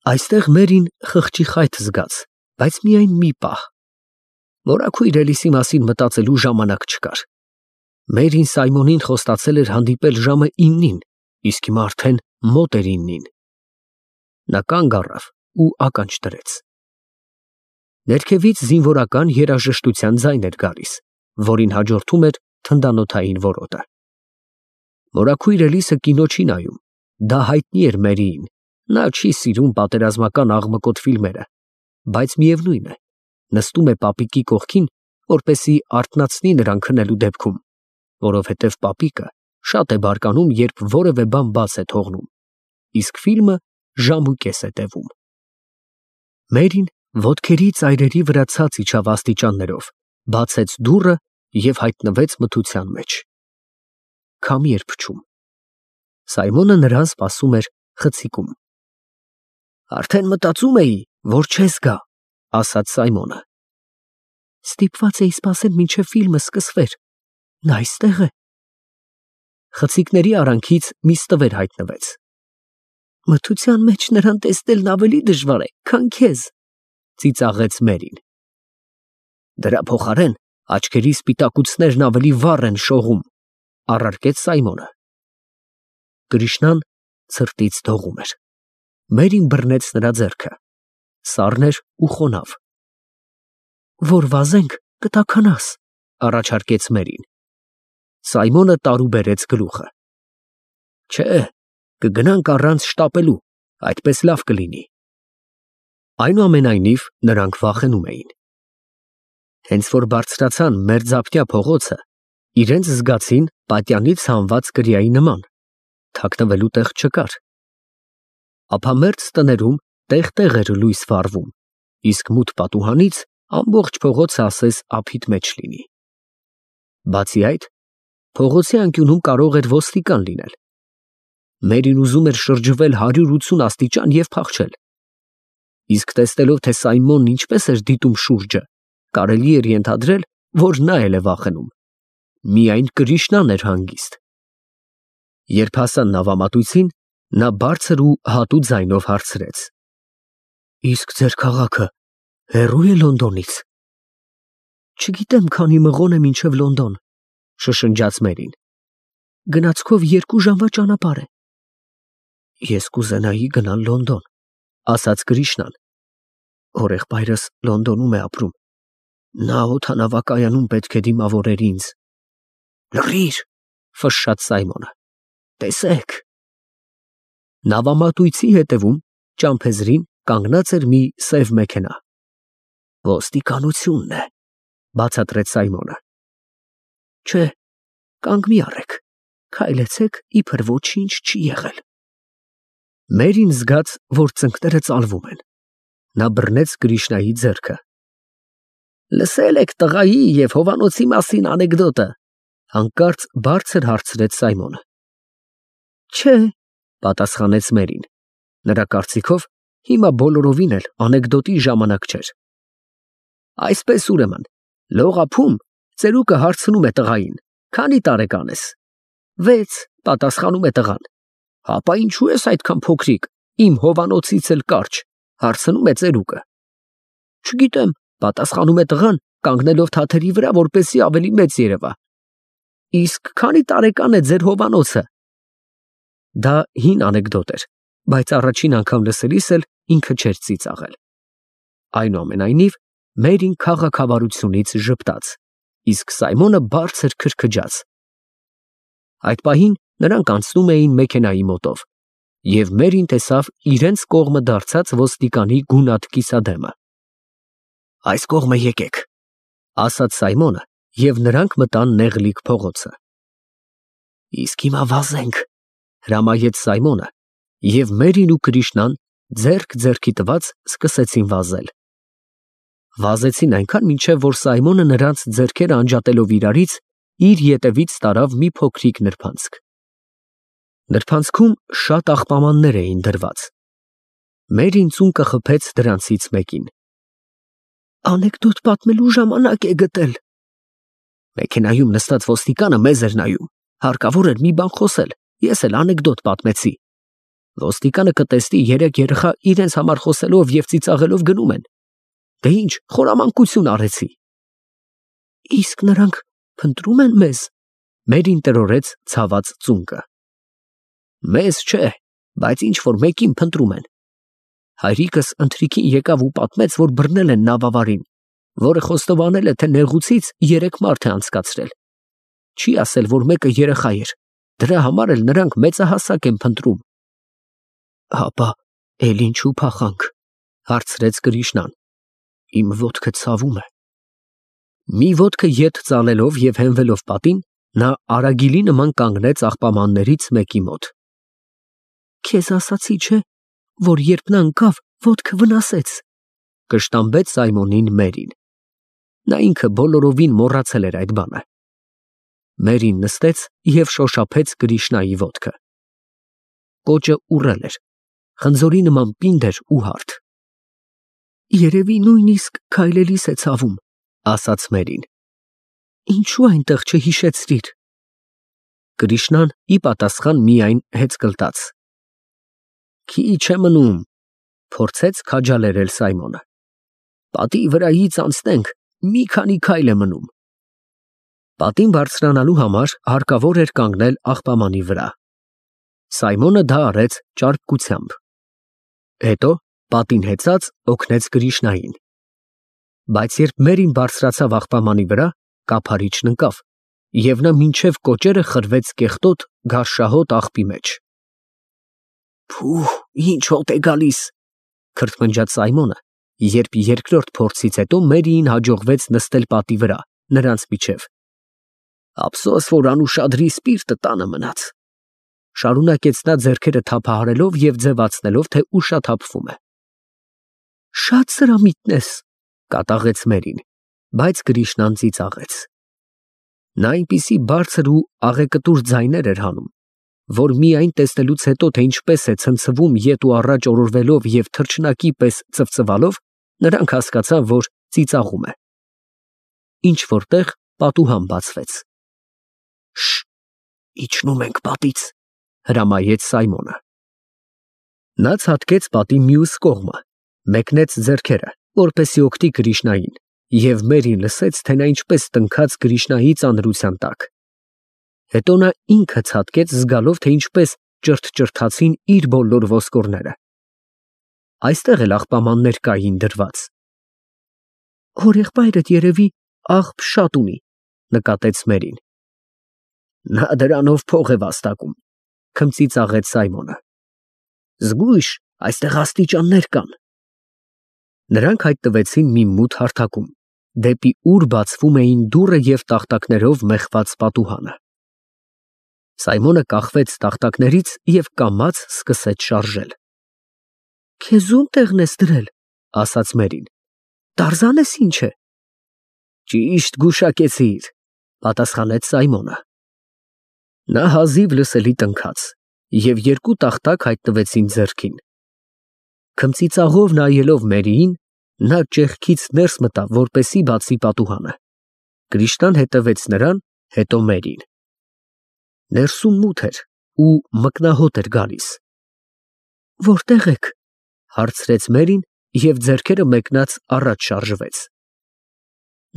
Այստեղ Մերին խղճի խայթ զգաց, բայց միայն մի պահ։ Մորաքույր Էլիսի մասին մտածելու ժամանակ չկար։ Մերին Սայմոնին խոստացել էր հանդիպել ժամը 9-ին, իսկ հիմա արդեն մոտ էր 9-ին։ Նա կանգ առավ ու ականջ դրեց։ Ներքևից զինվորական երաժշտության ձայն էր գալիս, որին հաջորդում էր թնդանոթային որոտը։ Մորաքույր Էլիսը կինո չի նայում, դա հայտնի էր Մերիին, նա չի սիրում պատերազմական աղմկոտ ֆիլմերը, բայց միևնույն է, նստում է պապիկի կողքին, որպեսզի արթնացնի նրան քնելու դեպքում, որովհետև պապիկը շատ է բարկանում, երբ որևէ բան բաց է թողնում, իսկ ֆիլմը ժամուկես է տևում։ Մերին ոտքերի ծայրերի վրա ցած իջավ աստիճաններով, բացեց դուռը և հայտնվեց մթության մեջ։ Քամի էր փչում։ Սայմոնը նրան սպասում էր խցիկում։ Արդեն մտածում էի, որ չես գա, ասաց Սայմոնը։ Ստիպված էի սպասել, մինչև ֆիլմը սկսվեր։ Նա այստեղ է։ Խցիկների արանքից մի ստվեր հայտնվեց։ Մթության մեջ նրան տեսնելն ավելի դժվար է, քան քեզ, ծիծաղեց Մերին։ Դրա փոխարեն աչքերի սպիտակուցներն ավելի վառ են շողում, առարկեց Սայմոնը։ Կրիշնան ցրտից դողում էր։ Մերին բռնեց նրա ձեռքը։ Սառն էր ու խոնավ։ Որ վազենք, կտաքանաս, առաջարկեց Մերին։ Սայմոնը տարուբերեց գլուխը։ Չէ, կգնանք առանց շտապելու, այդպես լավ կլինի։ Այնուամենայնիվ նրանք վախենում էին։ Հենց որ բարձրացան մերձափնյա փողոցը, իրենց զգացին պատյանից հանված կրիայի նման, թաքնվելու տեղ չկար։ Ապա մերձ տներում տեղ-տեղ էր լույս վառվում, իսկ մութ պատուհանից ամբողջ փողոցը ասես ափիտ մեջ լինի։ Բացի այդ, փողոցի անկյունում կարող էր ոստիկան լինել։ Մերին ուզում էր շրջվել 180 աստիճան և փախչել։ Իսկ տեսնելով, թե Սայմոնն ինչպես էր դիտում շուրջը, կարելի էր ենթադրել, որ նա էլ է վախենում։ Միայն Կրիշնան էր հանգիստ։ Երբ հասան նավամատույցին, նա բարձր ու հատու ձայնով հարցրեց. Իսկ ձեր քաղաքը հեռո՞ւ է Լոնդոնից։ Չգիտեմ, քանի մղոն է մինչև Լոնդոն, շշնջաց Մերին։ Գնացքով 2 ժամվա ճանապարհ է։ Ես կուզենայի գնալ Լոնդոն, ասաց Կրիշնան։ Հորեղբայրս Լոնդոնում է ապրում։ Նա օդանավակայանում պետք է դիմավորեր ինձ։ Լռիր, ֆշշաց Սայմոնը։ Տեսեք։ Նավամատույցի հետևում ճամփեզրին կանգնած էր մի սև մեքենա։ Ոստիկանությունն է, բացատրեց Սայմոնը։ Չէ, կանգ մի առեք, քայլեցեք, իբր ոչինչ չի եղել։ Մերին զգաց, որ ծնկները ծալվում են։ Նա բռնեց Կրիշնայի ձեռքը։ Լսել եք տղայի և հովանոցի մասին անեկդոտը, հանկարծ բարձր հարցրեց Սայմոնը։ Չէ, պատասխանեց Մերին։ Նրա կարծիքով հիմա բոլորովին էլ անեկդոտի ժամանակ չէր։ Այսպես ուրեմն, լողափում ծերուկը հարցնում է տղային. Քանի տարեկան ես։ 6, պատասխանում է տղան։ Հապա ինչու ես այդքան փոքրիկ, իմ հովանոցից էլ կարճ, հարցնում է ծերուկը։ Չգիտեմ, պատասխանում է տղան, կանգնելով թաթերի վրա, որպեսզի ավելի մեծ երևա։ Իսկ քանի տարեկան է ձեր հովանոցը։ Դա հին անեկդոտ էր, բայց առաջին անգամ լսելիս էլ ինքը չէր ծիծաղել։ Այնուամենայնիվ, Մերին քաղաքավարությունից ժպտաց, իսկ Սայմոնը բարձր քրքջաց։ Այդ պահին նրանք անցնում էին մեքենայի մոտով, և Մերին տեսավ իրենց կողմը դարձած ոստիկանի գունատ կիսադեմը։ Այս կողմը եկեք, ասաց Սայմոնը, և նրանք մտան նեղլիկ փողոցը։ Իսկ հիմա վազենք, հրամայեց Սայմոնը, և Մերին ու Կրիշնան ձեռք ձեռքի տված սկսեցին վազել։ Վազեցին այնքան, մինչև որ Սայմոնը նրանց ձեռքերը անջատելով իրարից, իր ետևից տարավ մի փոքրիկ նրբանցք։ Նրբանցքում շատ աղբամաններ էին դրված։ Մերին ծունկը խփեց դրանցից մեկին։ Անեկդոտ պատմելու ժամանակ է գտել։ Մեքենայում նստած ոստիկանը մեզ էր նայում, հարկավոր էր մի բան խոսել, ես էլ անեկդոտ պատմեցի։ Ոստիկանը կտեսնի երեք երեխա իրենց համար խոսելով և ծիծաղելով գնում են։ Դե ինչ, խորամանկություն արեցի։ Իսկ նրանք փնտրում են մեզ, Մերին տրորեց ցաված ծունկը։ Մեզ չէ, բայց ինչ որ մեկին փնտրում են։ Հայրիկս ընթրիքին եկավ ու պատմեց, որ բռնել են նավավարին, որը խոստովանել է, թե նեղուցից 3 մարդ է անցկացրել։ Չի ասել, որ մեկը երեխա էր, դրա համար էլ նրանք մեծահասակ են փնտրում։ Հապա, էլ ինչու փախանք, հարցրեց Կրիշնան։ Իմ ոտքը ցավում է։ Մի ոտքը ետ ծալելով և հենվելով պատին, նա արագիլի նման կանգնեց աղբամաններից մեկի մոտ։ Քեզ ասացի, չէ, որ երբ նա ընկավ, ոտքը վնասեց, կշտամբեց Սայմոնին Մերին։ Նա ինքը բոլորովին մոռացել էր այդ բանը։ Մերին նստեց և շոշափեց Կրիշնայի ոտքը։ Պոճը ուռել էր, խնձորի նման պինդ էր ու հարթ։ Երևի նույնիսկ քայլելիս է ցավում, ասաց Մերին։ Ինչու այնտեղ չհիշեցրիր։ Կրիշնան ի պատասխան միայն հեծկլտաց։ Քիչ է մնում, փորձեց քաջալերել Սայմոնը։ Պատի վրայից անցնենք, մի քանի քայլ է մնում։ Պատին բարձրանալու համար հարկավոր էր կանգնել աղբամանի վրա։ Սայմոնը դա արեց ճարպկությամբ։ Հետո պատին հեծած օգնեց Կրիշնային։ Բայց երբ Մերին բարձրացավ աղբամանի վրա, կափարիչն ընկավ, և նա մինչև կոճերը խրվեց կեղտոտ, գարշահոտ աղբի մեջ։ Փուհ, ինչ հոտ է գալիս, քրթմնջաց Սայմոնը, երբ երկրորդ փորձից հետո Մերիին հաջողվեց նստել պատի վրա, նրանց միջև։ Ափսոս, որ անուշադրի սպիրտը տանը մնաց, շարունակեց նա ձեռքերը թափահարելով և ձևացնելով, թե ուշաթափվում է։ Շատ սրամիտ ես, կատաղեց Մերին, բայց Կրիշնան ծիծաղեց։ Նա այնպիսի բարձր ու աղեկտուր ձայներ էր հանում, որ միայն տեսնելուց հետո, թե ինչպես է ցնցվում ետ ու առաջ օրորվելով և թռչնակի պես ծվծվալով, նրանք հասկացան, որ ծիծաղում է։ Ինչ որտեղ պատուհան բացվեց։ Շ, իջնում ենք պատից, հրամայեց Սայմոնը։ Նա ցատկեց պատի մյուս կողմը, մեկնեց ձեռքերը, որպեսզի օգնի Կրիշնային, և Մերին լսեց, թե նա ինչպես տնքաց Կրիշնայի ծանրության տակ։ Հետո նա ինքը ցատկեց, զգալով, թե ինչպես ճրթճրթացին իր բոլոր ոսկորները։ Այստեղ էլ աղբամաններ կային դրված։ Հորեղբայրդ երևի աղբ շատ ունի, նկատեց Մերին։ Նա դրանով փող է վաստակում, քմծիծաղեց Սայմոնը։ Զգույշ, այստեղ աստիճաններ կան։ Նրանք հայտնվեցին մի մութ հարթակում, դեպի ուր բացվում էին դուռը և տախտակներով մեխված պատուհանը։ Սայմոնը կախվեց տախտակներից և կամաց սկսեց շարժել։ Քեզ ում տեղն ես դրել, ասաց Մերին։ Տարզանես ինչ է։ Ճիշտ գուշակեցիր, պատասխանեց Սայմոնը։ Նա հազիվ լսելի տնքաց, և 2 տախտակ հայտնվեցին ձեռքին։ Քմծիծաղով նայելով Մերիին, նա ճեղքից ներս մտավ, որպեսզի բացի պատուհանը։ Կրիշնան հետևեց նրան, հետո Մերին։ Ներսում մութ էր ու մկնահոտ էր գալիս։ Որտե՞ղ եք, հարցրեց Մերին և ձեռքերը մեկնած առաջ շարժվեց։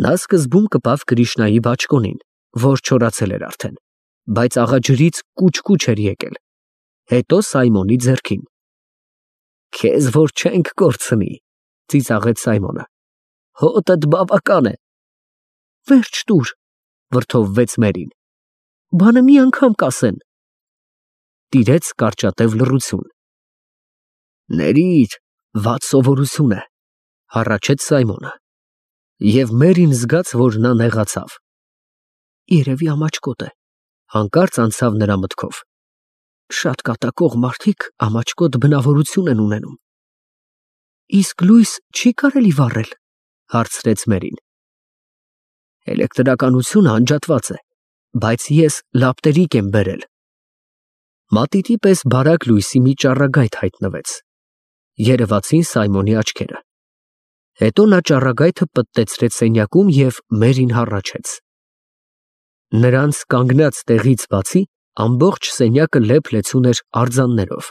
Նա սկզբում կպավ Կրիշնայի բաճկոնին, որ չորացել էր արդեն, բայց աղաջրից կուչ էր եկել, հետո Սայմոնի ձեռքին։ Քեզ որ չենք կորցնի, ծիծաղեց Սայմոնը։ Հոտդ բավական է։ Վերջ տուր, վրդովվեց Մերին։ Բանը մի անգամ կասեն։ Տիրեց կարճատև լռություն։ Ներիր, վատ սովորություն է, հառաչեց Սայմոնը։ Եվ Մերին զգաց, որ նա նեղացավ։ Երևի ամաչկոտ է, հանկարծ անցավ նրա մտքով։ Շատ կատակող մարդիկ ամաչկոտ բնավորություն են ունենում։ Իսկ լույս չի կարելի վառել, հարցրեց Մերին։ Էլեկտրականությունը անջատված է, բայց ես լապտերիկ եմ բերել։ Մատիտի պես բարակ լույսի մի ճառագայթ հայտնվեց։ Երևացին Սայմոնի աչքերը։ Հետո նա ճառագայթը պտտեցրեց սենյակում և Մերին հառաչեց։ Նրանց կանգնած տեղից բացի ամբողջ սենյակը լեփ-լեցուն էր արձաններով։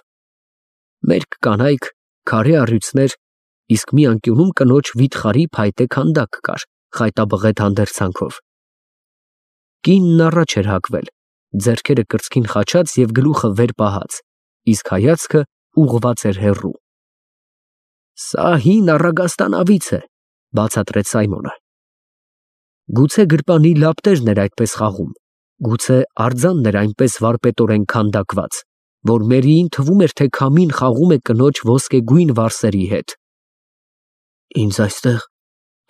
Մերկ կանայք, քարե առյուծներ, իսկ մի անկյունում կնոջ վիթխարի փայտե քանդակ կար, խայտաբղետ հանդերձանքով։ Կինն առաջ էր հագվել, ձեռքերը կրծքին խաչած և գլուխը վեր պահած, իսկ հայացքը ուղղված էր հեռու։ «Սա հին առագաստանավից է», բացատրեց Սայմոնը։ Գուցե գրպանի լապտերն էր այդպես խաղում, գուցե արձանն էր այնպես վարպետորեն քանդակված, որ Մերիին թվում էր, թե քամին խաղում է կնոջ ոսկեգույն վարսերի հետ։ «Ինձ այստեղ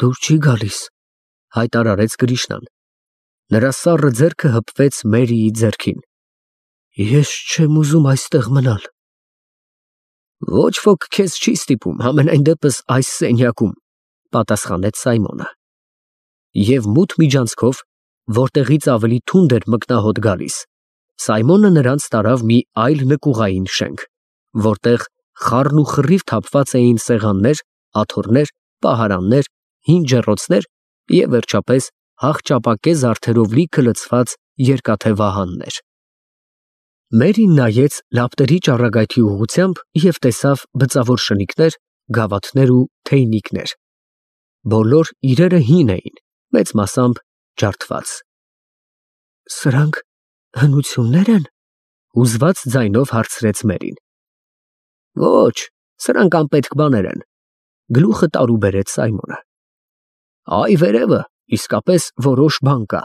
դուր չի գալիս», հայտարարեց Կրիշնան։ Նրա սառը ձեռքը հպվեց Մերիի ձեռքին։ «Ես չեմ ուզում այստեղ մնալ»։ «Ոչ ոք քեզ չի ստիպում, համենայն դեպս այս սենյակում», պատասխանեց Սայմոնը։ Եվ մութ միջանցքով, որտեղից ավելի թունդ էր մկնահոտ գալիս, Սայմոնը նրանց տարավ մի այլ նկուղային շենք, որտեղ խառն ու խռիվ թափված էին սեղաններ, աթոռներ, պահարաններ, հին ջեռոցներ և վերջապես հախճապակե զարդերով լիքը լցված երկաթե վահաններ։ Մերին նայեց լապտերի ճառագայթի ուղղությամբ և տեսավ բծավոր շնիկներ, գավաթներ ու թեյնիկներ։ Բոլոր իրերը հին էին, մեծ մասամբ ջարդված։ «Սրանք հնություննե՞ր են», հուզված ձայնով հարցրեց Մերին։ «Ոչ, սրանք անպետք բաներ են», գլուխը տարու բերեց Սայմոնը։ «Այ վերևը իսկապես որոշ բան կա։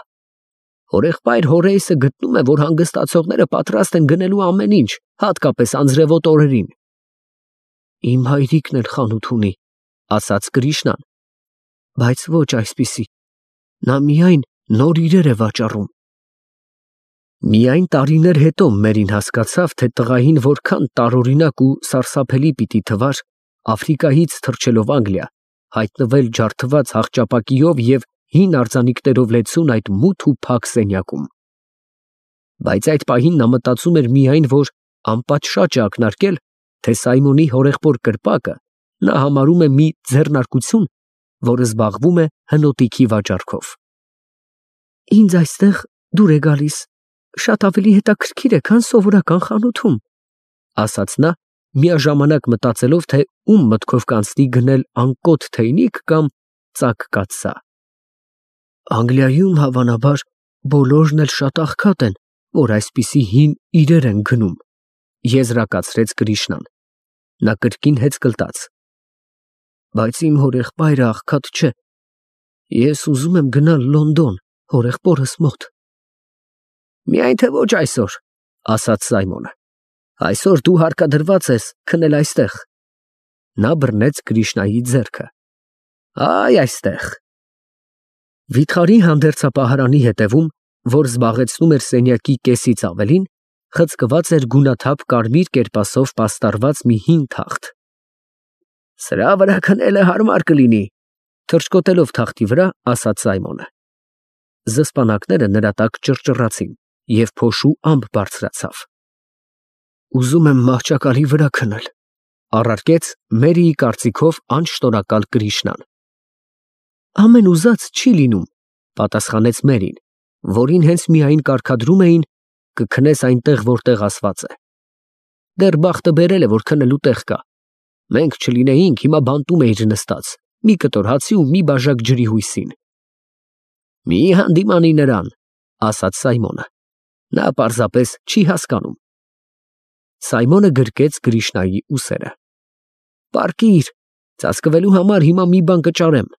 Հորեղբայր Հորեյսը գտնում է, որ հանգստացողները պատրաստ են գնելու ամեն ինչ, հատկապես անձրևոտ օրերին»։ «Իմ հայրիկն էլ խանութ ունի», ասաց Կրիշնան, «բայց ոչ այսպիսի, նա միայն նոր իրեր է վաճառում»։ Միայն տարիներ հետո Մերին հասկացավ, թե տղային որքան տարօրինակ ու սարսափելի պիտի թվար Աֆրիկայից թռչելով Անգլիա, հայտնվել ջարդված հախճապակիով և հին արձանիկներով լեցուն այդ մութ ու փակ սենյակում։ Բայց այդ պահին նա մտածում էր միայն, որ անպատշաճ է ակնարկել, թե Սայմոնի հորեղբոր կրպակը նա համարում է մի ձեռնարկություն, որը զբաղվում է հնոտիքի վաճառքով։ «Ինձ այստեղ դուր է գալիս շատ ավելի հետաքրքիր է, քան սովորական խանութում», ասաց նա, միաժամանակ մտածելով, թե ում մտքով կանցնի գնել անկոտ թեյնիկ կամ ծակ կաթսա։ «Անգլիայում հավանաբար բոլորն էլ շատ աղքատ են, որ այսպիսի հին իրեր են գնում», եզրակացրեց Կրիշնան։ Նա կրկին հեծկլտաց։ «Բայց իմ հորեղբայրը աղքատ չէ։ Ես ուզում եմ գնալ Լոնդոն, հորեղբորս մոտ»։ «Միայն թե ոչ այսօր», ասաց Սայմոնը։ «Այսօր դու հարկադրված ես քնել այստեղ»։ Նա բռնեց Կրիշնայի ձեռքը։ «Այ այստեղ»։ Վիթխարի հանդերձապահարանի հետևում, որ զբաղեցնում էր սենյակի կեսից ավելին, խցկված էր գունաթափ կարմիր կերպասով պաստառված մի հին թախտ։ «Սրա վրա քնելը հարմար կլինի», թռչկոտելով թախտի վրա, ասաց Սայմոնը։ Զսպանակները նրա տակ ճռճռացին, և փոշու ամպ բարձրացավ։ «Ուզում եմ մահճակալի վրա քնել», առարկեց Մերիի կարծիքով անշնորհակալ Կրիշնան։ «Ամեն ուզած չի լինում», պատասխանեց Մերին, որին հենց միայն կարգադրում էին կքնես այնտեղ, որտեղ ասված է։ Դեռ բախտը բերել է, որ քնելու տեղ կա։ Մենք չլինեինք, հիմա բանտում էիր նստած, մի կտոր հացի ու մի բաժակ ջրի հույսին։ «Մի հանդիմանի նրան», ասաց Սայմոնը։ Նա պարզապես չի հասկանում։ Սայմոնը գրկեց Կրիշնայի ուսերը։ «Պառկիր, ծածկվելու համար հիմա մի բան կճարեմ»։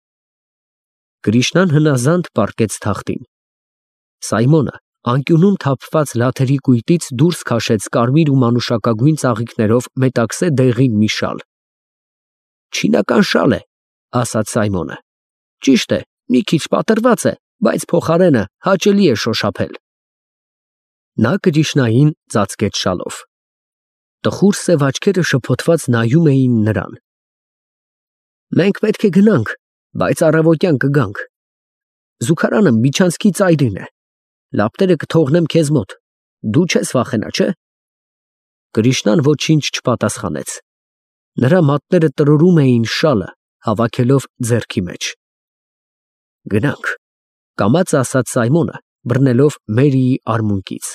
Կրիշնան հնազանդ պառկեց թախտին։ Սայմոնը անկյունում թափված լաթերի կույտից դուրս քաշեց կարմիր ու մանուշակագույն ծաղիկներով մետաքսե դեղին մի շալ։ «Չինական շալ է», ասաց Սայմոնը։ «Ճիշտ է, մի քիչ պատռված է, բայց փոխարենը հաճելի է շոշափել»։ Նա Կրիշնային ծածկեց շալով։ Տխուր սև աչքերը շփոթված նայում էին նրան։ «Մենք պետք է գնանք, բայց առավոտյան կգանք։ Զուգարանը միջանցքի ծայրին է։ Լապտերը կթողնեմ քեզ մոտ։ Դու չես վախենա, չէ՞։ Կրիշնան ոչինչ չպատասխանեց։ Նրա մատները տրորում էին շալը, հավաքելով ձեռքի մեջ։ «Գնանք», կամաց ասաց Սայմոնը, բռնելով Մերիի արմունկից։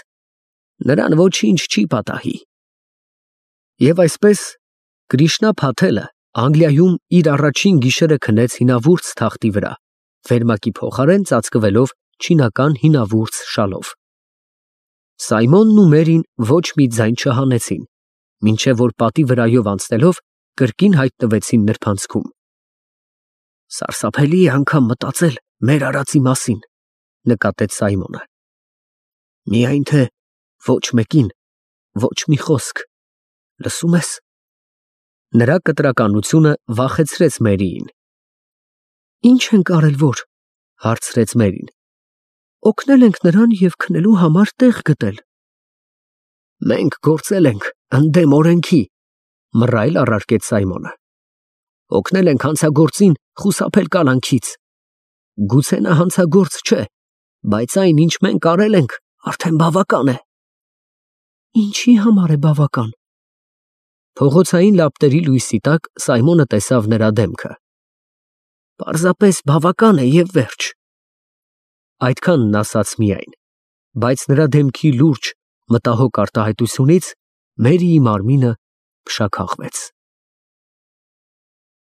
«Նրան ոչինչ չի պատահի»։ Եվ այսպես Կրիշնա Փաթելը Անգլիայում իր առաջին գիշերը քնեց հինավուրց թախտի վրա, վերմակի փոխարեն ծածկվելով չինական հինավուրց շալով։ Սայմոնն ու Մերին ոչ մի ձայն չհանեցին, մինչև որ պատի վրայով անցնելով կրկին հայտնվեցին նրբանցքում։ Սարսափելի է անգամ մտածել մեր արածի մասին, նկատեց Սայմոնը։ Միայն թե ոչ մեկին, ոչ մի խոսք, լսում ես։ Նրա կտրականությունը վախեցրեց Մերիին։ Ինչ ենք արել որ, հարցրեց Մերին։ Օգնել ենք նրան և քնելու համար տեղ գտել։ Մենք գործել ենք ընդդեմ օրենքի, մռայլ առարկեց Սայմոնը։ Օգնել ենք հանցագործին խուսափել կալանքից։ Գուցե նա հանցագործ չէ, բայց այն, ինչ մենք արել ենք, արդեն բավական է։ Ինչի համար է բավական։ Փողոցային լապտերի լույսի տակ Սայմոնը տեսավ նրա դեմքը։ Պարզապես բավական է և վերջ։ Այդքանն ասաց միայն, բայց նրա դեմքի լուրջ, մտահոգ արտահայտությունից Մերիի մարմինը փշաքաղվեց։